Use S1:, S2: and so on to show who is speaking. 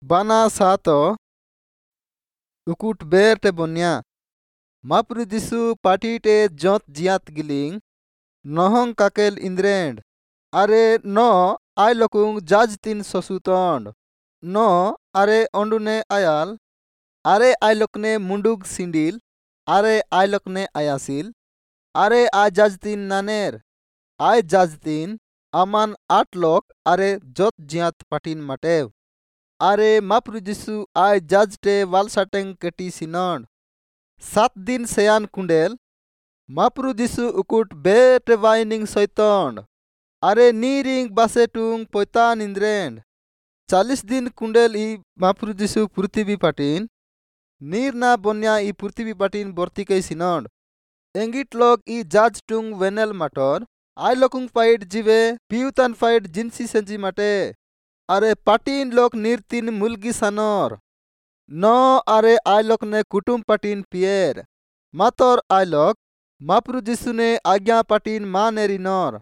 S1: बाना सात उकुट बेरटे बन्या मापुरु जिसु पाटीटे जोत जियात गिलिंग नहंग काकेल इंद्रेंड अरे न आय लोकुंग जाज तीन ससुतंड न अरे ओंडुने आयाल अरे आय लोकने मुंडुग सिंडिल अरे आय लोकने आयासिल अरे आय जाज तीन नानेर आय जाज तीन अमान आठ लोक अरे जोत जियात पाटीन माटेव अरे मापुरु जिसु आय जाजटे वालसाटेंग केटी सिनंड 7 दिन सेयान कुंडेल मापुरु जिसु उकुट बेटे वाइनिंग सैतंड अरे नीरिंग बासेटुंग पोयतान इंद्रेंड 40 दिन कुंडेल ई मापुरु जिसु पृथ्वी पाटीन नीर ना बन्या ई पृथ्वी पाटीन बर्तिके सिनंड एंगिट लोग ई जाज टुंग वेनेल माटर आय लोकुंग फाइट जीवे पियुतान फाइट जिनसी सेंजी माटे अरे पाटीन लोक नीर तीन मुलगी सानोर न अरे आय लोक ने कुटुम पाटीन पिएर मातर आय लोक मापुरु जिसु ने आज्ञा पाटीन मा नेरी नर।